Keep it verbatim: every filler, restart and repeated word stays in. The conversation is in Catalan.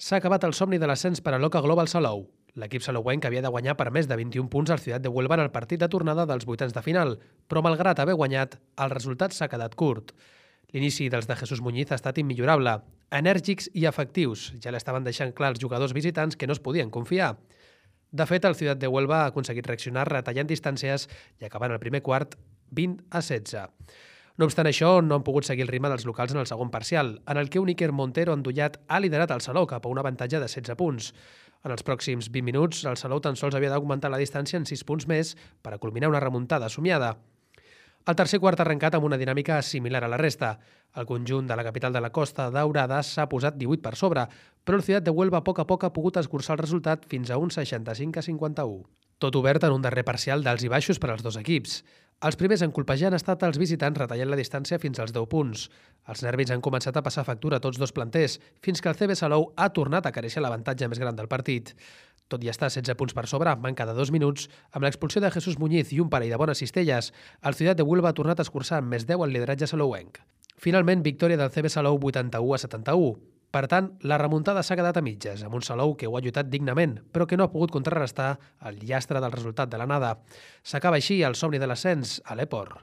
S'ha acabat el somni de l'ascens per a l'Oca Global Salou. L'equip salouenc havia de guanyar per més de vint-i-un punts al Ciutat de Huelva en el partit de tornada dels vuitens de final, però malgrat haver guanyat, el resultat s'ha quedat curt. L'inici dels de Jesús Muñiz ha estat immillorable, enèrgics i efectius. Ja l'estaven deixant clar els jugadors visitants que no es podien confiar. De fet, el Ciutat de Huelva ha aconseguit reaccionar retallant distàncies i acabant el primer quart vint a setze. No obstant això, no han pogut seguir el ritme dels locals en el segon parcial, en el que un Iker Montero endollat ha liderat el Salou cap a un avantatge de setze punts. En els pròxims vint minuts, el Salou tan sols havia d'augmentar la distància en sis punts més per a culminar una remuntada somiada. El tercer quart ha arrencat amb una dinàmica similar a la resta. El conjunt de la capital de la Costa Daurada s'ha posat divuit per sobre, però el Ciutat de Huelva a poc a poc ha pogut escurçar el resultat fins a un seixanta-cinc a cinquanta-u. Tot obert en un darrer parcial d'alts i baixos per als dos equips. Els primers en colpejar han estat els visitants retallant la distància fins als deu punts. Els nervis han començat a passar factura a tots dos planters, fins que el C B Salou ha tornat a careixer l'avantatge més gran del partit. Tot i estar setze punts per sobre, manca de dos minuts, amb l'expulsió de Jesús Muñiz i un parell de bones cistelles, el Ciutat de Huelva ha tornat a escurçar amb més deu el lideratge salouenc. Finalment, victòria del C B Salou vuitanta-u a setanta-u. Per tant, la remuntada s'ha quedat a mitges, amb un Salou que ho ha lluitat dignament, però que no ha pogut contrarrestar el llastre del resultat de l'anada. S'acaba així el somni de l'ascens a l'Eport.